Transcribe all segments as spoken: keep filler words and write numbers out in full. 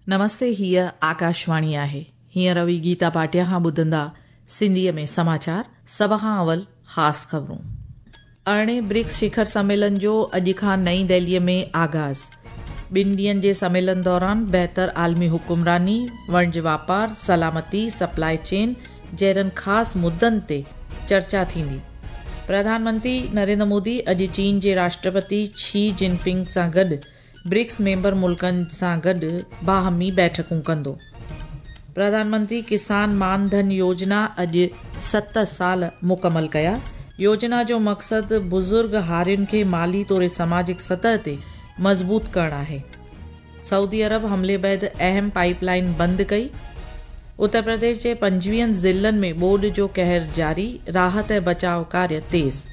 नमस्ते, हीअ आकाशवाणी आहे। हींअर रवि गीता भाटिया खां ॿुधंदा सिंधीअ में समाचार। सभ खां अवल ख़ासि ख़बरूं। अरिड़हें ब्रिक्स शिखर सम्मेलन जो अॼु खां नई दिल्लीअ में आगाज़। ॿिनि ॾींहंनि जे सम्मेलन दौरान बहितर आलमी हुकुमरानी, वणज वापार, सलामती, सप्लाई चेन जहिड़नि ख़ासि मुद्दनि ते चर्चा थींदी। प्रधानमंत्री नरेंद्र मोदी अॼु चीन जे राष्ट्रपति शी जिनपिंग सां गॾु ब्रिक्स मेंबर मुल्कनि सां गॾु बाहमी बैठकूं कंदो। प्रधानमंत्री किसान मान धन योजना अॼु सत साल मुकमल कया। योजना जो मक़सदु बुज़ुर्ग हारियुनि खे माली तौर समाजिक सतह ते मज़बूत करणु आहे। सऊदी अरब हमले बाद अहम पाइपलाइन बंदि कई। उत्तर प्रदेश जे पंजवीहनि ज़िलनि में ॿोॾ जो कहर जारी, राहत ऐं बचाव कार्य तेज़।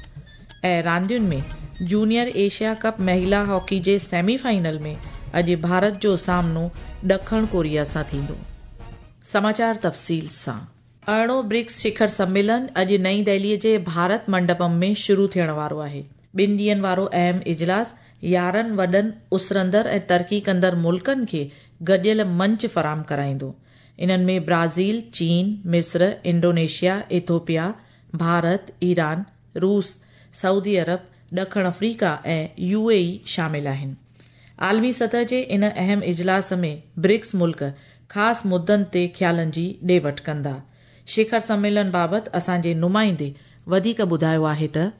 ऐं रांदियुनि में जूनियर एशिया कप महिला हॉकी जे सेमीफाइनल में अॼु भारत जो सामनो ॾखण कोरिया सां थींदो। समाचार तफ़सील सां। अरिड़हों ब्रिक्स शिखर सम्मेलन अॼु नई दिल्लीअ जे भारत मंडपम में शुरू थियण वारो आहे। ॿिनि ॾींहंनि वारो अहम इजलास यारहं वॾनि उसरंदड़ ऐं तरक़ी कंदड़ मुल्कनि खे गॾियल मंच फराहम कराईंदो। इन्हनि में ब्राज़ील, चीन, मिस्र, इंडोनेशिया, इथोपिया, भारत, ईरान, रूस, सऊदी अरब, ॾखण अफ्रीका ऐं यू ए ई शामिल आहिनि। आलमी सतह जे इन अहम इजलास में ब्रिक्स मुल्क ख़ासि मुद्दनि ते ख़्यालनि जी ॾे वठि कंदा। शिखर सम्मेलन बाबति असांजे नुमाइंदे वधीक ॿुधायो आहे त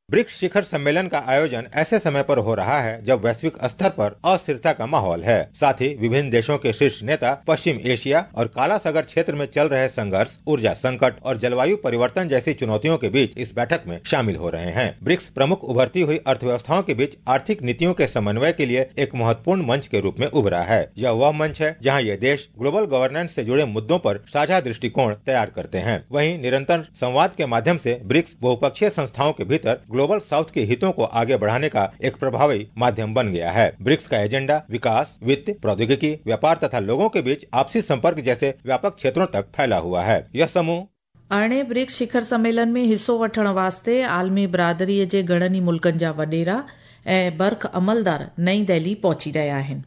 ब्रिक्स शिखर सम्मेलन का आयोजन ऐसे समय पर हो रहा है जब वैश्विक स्तर पर अस्थिरता का माहौल है। साथ ही विभिन्न देशों के शीर्ष नेता पश्चिम एशिया और काला सागर क्षेत्र में चल रहे संघर्ष, ऊर्जा संकट और जलवायु परिवर्तन जैसी चुनौतियों के बीच इस बैठक में शामिल हो रहे हैं। ब्रिक्स प्रमुख उभरती हुई अर्थव्यवस्थाओं के बीच आर्थिक नीतियों के समन्वय के लिए एक महत्वपूर्ण मंच के रूप में उभरा है। यह वह मंच है जहाँ ये देश ग्लोबल गवर्नेंस से जुड़े मुद्दों पर साझा दृष्टिकोण तैयार करते हैं। वहीं निरंतर संवाद के माध्यम से ब्रिक्स बहुपक्षीय संस्थाओं के भीतर ग्लोबल साउथ के हितों को आगे बढ़ाने का एक प्रभावी माध्यम बन गया है। ब्रिक्स का एजेंडा विकास, वित्त, प्रौद्योगिकी, व्यापार तथा लोगों के बीच आपसी संपर्क जैसे व्यापक क्षेत्रों तक फैला हुआ है। यह समूह अरिड़हें ब्रिक्स शिखर सम्मेलन में हिसो वठण वास्ते आलमी बरादरीअ जे घणनि ई मुल्कनि जा वॾेरा ऐं बर्ख अमलदार नई दिल्ली पहुची रहिया आहिनि।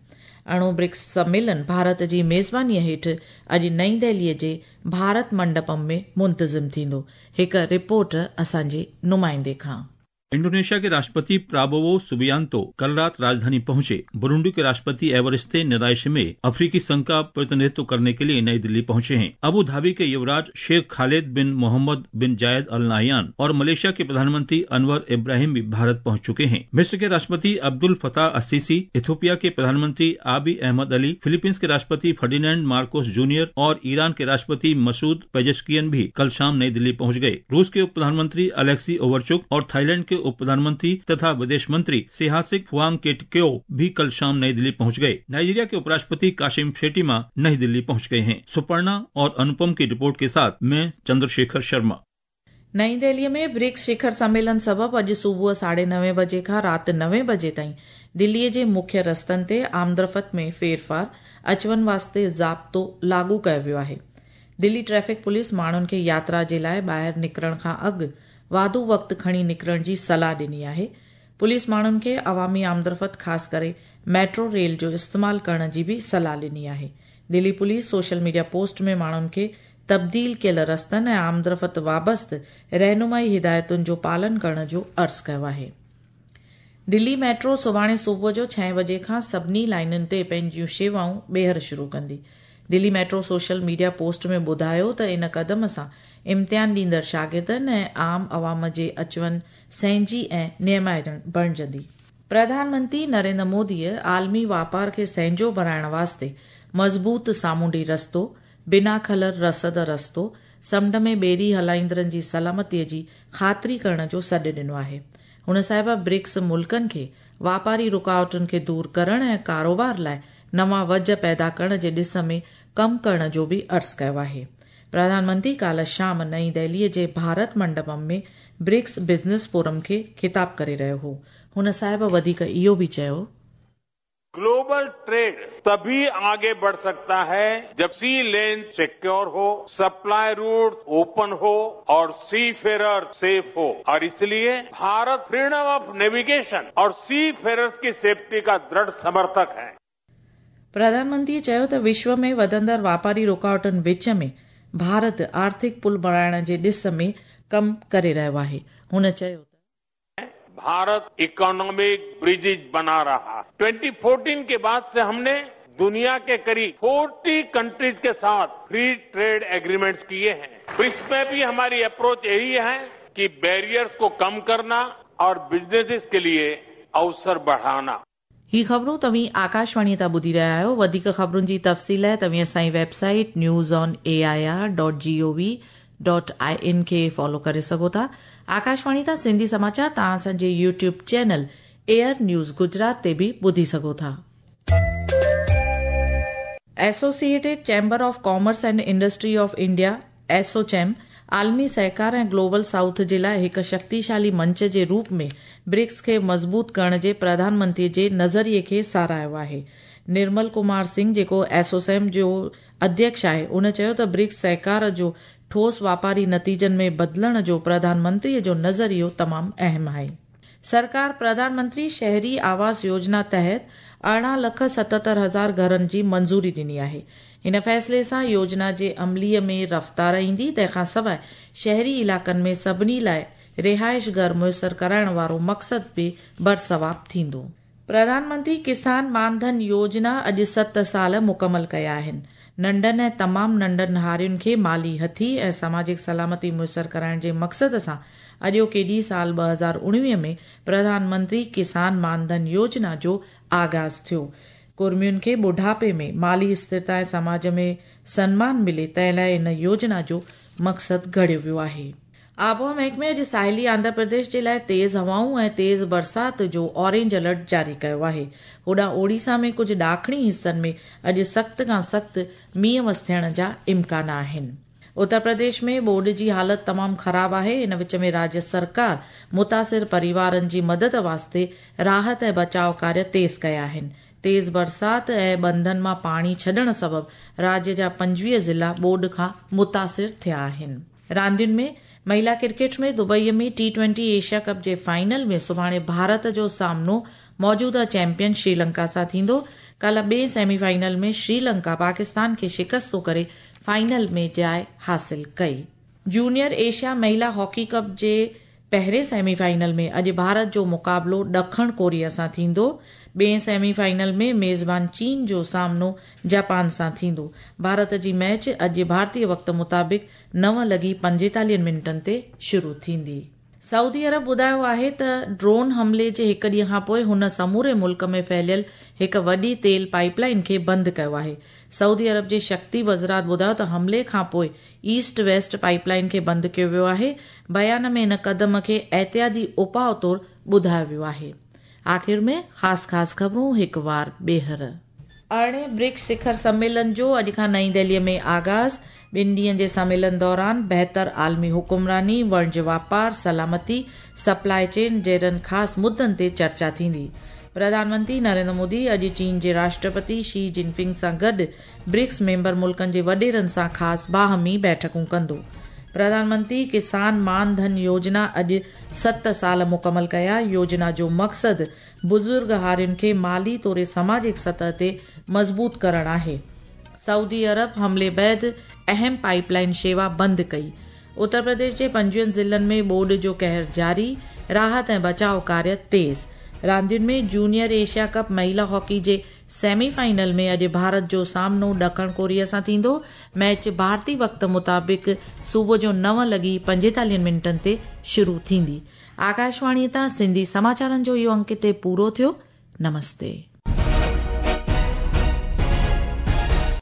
अरिड़हों ब्रिक्स सम्मेलन भारत जी मेज़बानीअ हेठि अॼु नई दिल्लीअ जे भारत मंडपम में मुंतज़िम थींदो। हिकु रिपोर्ट असांजे नुमाइंदे खां। इंडोनेशिया के राष्ट्रपति प्राबोवो सुबियांतो कल रात राजधानी पहुंचे। बुरुंडी के राष्ट्रपति एवरिस्ते नदाइशिमे अफ्रीकी संघ का प्रतिनिधित्व करने के लिए नई दिल्ली पहुंचे हैं। अबू धाबी के युवराज शेख खालिद बिन मोहम्मद बिन जायद अल नाहयान और मलेशिया के प्रधानमंत्री अनवर इब्राहिम भी भारत पहुंच चुके हैं। मिस्र के राष्ट्रपति अब्दुल फताह अस्सीसी, इथोपिया के प्रधानमंत्री आबी अहमद अली, फिलीपींस के राष्ट्रपति फर्डिनेंड मार्कोस जूनियर और ईरान के राष्ट्रपति मसूद पेजेश्कियन भी कल शाम नई दिल्ली पहुंच गए। रूस के उप प्रधानमंत्री अलेक्सी ओवरचुक और थाईलैंड के उप प्रधानमंत्री तथा विदेश मंत्री सेहासिक फुआंग केटक्यो भी कल शाम नई दिल्ली पहुंच गए। नाइजीरिया के उपराष्ट्रपति काशिम शेट्टीमा नई दिल्ली पहुंच गए हैं। सुपर्णा और अनुपम की रिपोर्ट के साथ मैं चंद्रशेखर शर्मा। नई दिल्लीअ में ब्रिक्स शिखर सम्मेलन सबबि अॼु सुबुह साढे नवे बजे खां राति नवे बजे ताईं दिल्लीअ जे मुख्य रस्तनि ते आमदरफ़्त में फेरफार अचवञ वास्ते ज़ाब्तो लागू कयो वियो आहे। दिल्ली ट्रैफिक पुलिस माण्हुनि खे यात्रा जे लाइ ॿाहिरि निकिरण खां अॻु वाधू वक़्तु खणी निकिरण जी सलाह ॾिनी आहे। पुलिस माण्हुनि खे अवामी आमदरफ़्त ख़ासि करे मेट्रो रेल जो इस्तेमालु करण जी बि सलाह ॾिनी आहे। Delhi police social media post में माण्हुनि खे तब्दील कयल रस्तनि ऐं आमदरफ़्त वाबस्त रहनुमाई हिदायतुनि जो पालन करण जो अर्ज़ु कयो आहे। दिल्ली मेट्रो सुभाणे सुबुह जो छह बजे खां सभिनी लाइनुनि ते पंहिंजियूं शेवाऊं ॿीहर शुरू कंदी। Delhi metro social media post में ॿुधायो त इन कदम सां इम्तिहान ॾींदड़ शागिर्दनि ऐं आम अवाम जे अचवञ सहंजी ऐं नियमाइण बणिजंदी। प्रधानमंत्री नरेंद्र मोदीअ आलमी वापार खे सहंजो बणाइण वास्ते मज़बूत सामुंडी रस्तो, बिना खलर रसद रस्तो, समुंड में ॿेड़ी हलाईंदड़नि जी सलामतीअ जी ख़ातिरी करण जो सॾु ॾिनो आहे। हुन साहिब ब्रिक्स मुल्कनि खे वापारी रुकावटुनि खे दूर करण ऐं कारोबार लाइ नवां वज पैदा करण जे ॾिस में कमु करण जो बि अर्ज़ु कयो आहे। प्रधानमंत्री काल्ह शाम नई दिल्लीअ जे भारत मंडपम में ब्रिक्स बिज़नेस फोरम खे ख़िताब करे रहियो हो। हुन साहिब वधीक इहो बि चयो, ग्लोबल ट्रेड तभी आगे बढ़ सकता है जब सी लेन सिक्योर हो, सप्लाई रूट ओपन हो और सी फेरर सेफ हो। और इसलिए भारत फ्रीडम ऑफ नेविगेशन और सी फेरर्स की सेफ्टी का दृढ़ समर्थक है। प्रधानमंत्री चयो त विश्व में वधंदड़ वापारी रुकावटनि विच में भारत आर्थिक पुल बणाइण जे ॾिस में कमु करे रहियो आहे। हुन चयो त भारत इकोनॉमिक ब्रिजेज बना रहा है। ट्वेंटी फोर्टीन के बाद से हमने दुनिया के करीब चालीस कंट्रीज के साथ फ्री ट्रेड एग्रीमेंट्स किए हैं। ब्रिक्स में भी हमारी अप्रोच यही है कि बैरियर्स को कम करना और बिजनेसेस के लिए अवसर बढ़ाना। ही ख़बरूं तव्हीं आकाशवाणी तां ॿुधी रहिया आहियो। वधीक ख़बरुनि जी तफ़सील लाइ तव्हीं असांजी website news on A I R dot G O V dot I N खे फॉलो करे सघो था। आकाशवाणी तां सिंधी समाचार तव्हां असांजे YouTube channel AIR news Gujarat ते बि ॿुधी सघो था। Associated chamber of commerce and industry of India ASSOCHAM आलमी सहकार ऐं ग्लोबल साउथ जे लाइ हिकु शक्तिशाली मंच जे रूप में ब्रिक्स खे मज़बूत करण जे प्रधानमंत्री जे नज़रिए खे सराहियो आहे। निर्मल कुमार सिंह जेको एसोचैम जो अध्यक्ष आहे, उन चयो त ब्रिक्स सहकार जो ठोस वापारी नतीजनि में बदिलण जो प्रधानमंत्रीअ जो नज़रियो तमामु अहम आहे। सरकार प्रधानमंत्री शहरी आवास योजना तहत अरिड़हं लख सतहतरि हज़ार घरनि जी मंज़ूरी ॾिनी आहे। हिन फ़ैसिले सां योजना जे अमलीअ में रफ़्तार ईंदी। तंहिंखां सवाइ शहरी इलाइक़नि में सभिनी लाइ रिहाइश घर मुयसर कराइण वारो मक़सदु बि बरसवाब थींदो। प्रधानमंत्री किसान मानधन योजना अॼु सत साल मुकमल कया आहिनि। नंढनि ऐं तमामु नंढनि हारियुनि खे माली हथी ऐं सामाजिक सलामती मुयसर कराइण जे मक़सद सां अॼोके ॾींहुं साल ॿ हज़ार उणिवीह में प्रधानमंत्री किसान मानधन योजना जो आगाज़ थियो। कुर्मियुनि खे बुढ़ापे में माली स्थिरता ऐं समाज में सनमान मिले तंहिं लाइ इन योजना जो मक़सदु घड़ियो वियो आहे। आबहावा महकमे अॼु साहिली आंध्र प्रदेश जे लाइ तेज़ हवाऊं ऐं तेज़ बरसात जो ऑरेंज अलर्ट जारी कयो आहे। होॾां ओडिशा में कुझु ॾाखणी हिसनि में अॼु सख़्त खां सख़्तु मींहुं वस थियण जा इम्कान आहिनि। उत्तर प्रदेश में ॿोॾ जी हालत तमामु ख़राब आहे। इन विच में राज्य सरकार मुतासिर परिवारनि जी मदद वास्ते राहत ऐं बचाव कार्य तेज़ कया आहिनि। तेज़ बरसात ऐं बंधनि मां पाणी छॾण सबबु राज्य जा पंजवीह ज़िला ॿोॾ खां मुतासिर थिया आहिनि। रांदियुनि में महिला क्रिकेट में दुबईअ में टी ट्वेंटी एशिया कप जे फाइनल में सुभाणे भारत जो सामनो मौजूदा चैंपियन श्रीलंका सां थींदो। काल्ह ॿिए सेमीफाइनल में श्रीलंका पाकिस्तान खे शिकस्तो करे फाइनल में जाइ हासिल कई। जूनियर एशिया महिला हॉकी कप जे पहिरें सेमीफाइनल में अॼु भारत जो मुक़ाबिलो ॾखण कोरिया सां थींदो। ॿिए सेमीफाइनल में मेज़बान चीन जो सामनो जापान सां थींदो। भारत जी मैच अॼु भारतीय वक़्त मुताबिक़ नव लॻी पंजेतालीहनि मिंटनि ते शुरू थींदी। सऊदी अरब ॿुधायो आहे त ड्रोन हमले जे हिकु ॾींहं खां पोइ हुन समूरे मुल्क में फैलियल हिकु वॾी तेल पाइपलाइन खे बंदि कयो आहे। सऊदी अरब जे शक्ति वज़रात ॿुधायो त हमले खां पोइ ईस्ट वेस्ट पाइपलाइन खे बंदि कयो वियो आहे। बयान में इन कदम खे एहतियाती उपाउ तौरु ॿुधायो वियो आहे। आख़िर में ख़ासि ख़ासि ख़बरूं हिकु वार ॿीहर। अरिड़हें ब्रिक्स शिखर सम्मेलन जो अॼु खां नई दिल्लीअ में आगाज़। ॿिनि ॾींहनि जे सम्मेलन दौरान बहितर आलमी हुकुमरानी, वणज वापार, सलामती, सप्लाई चेन जहिड़नि ख़ासि मुद्दनि ते चर्चा थींदी। प्रधानमंत्री नरेंद्र मोदी अॼु चीन जे राष्ट्रपति शी जिनपिंग सां गॾु ब्रिक्स मेंबर मुल्कनि जे वॾेरनि सां ख़ासि बाहमी बैठकूं कंदो। प्रधानमंत्री किसान मान धन योजना अॼु सत साल मुकमल कया। योजना जो मक़सदु बुज़ुर्ग हारियुनि खे माली तौर सामाजिक सतह ते मज़बूत करणु आहे। सऊदी अरब हमले बाद अहम पाइपलाइन शेवा बंदि कई। उत्तर प्रदेश जे पंजवीहनि ज़िलनि में ॿोॾ जो कहर जारी, राहत ऐं बचाव कार्य तेज़। रांदियुनि में जूनियर एशिया कप महिला हॉकी जे सेमीफाइनल में अॼु भारत जो सामनो ॾखण कोरिया सां थींदो। मैच भारतीय वक़्त मुताबिक़ सुबुह जो नव लॻी पंजेतालीहनि मिंटनि ते शुरू थींदी। आकाशवाणी तां सिंधी समाचारनि जो इहो अंक हिते पूरो थियो। नमस्ते।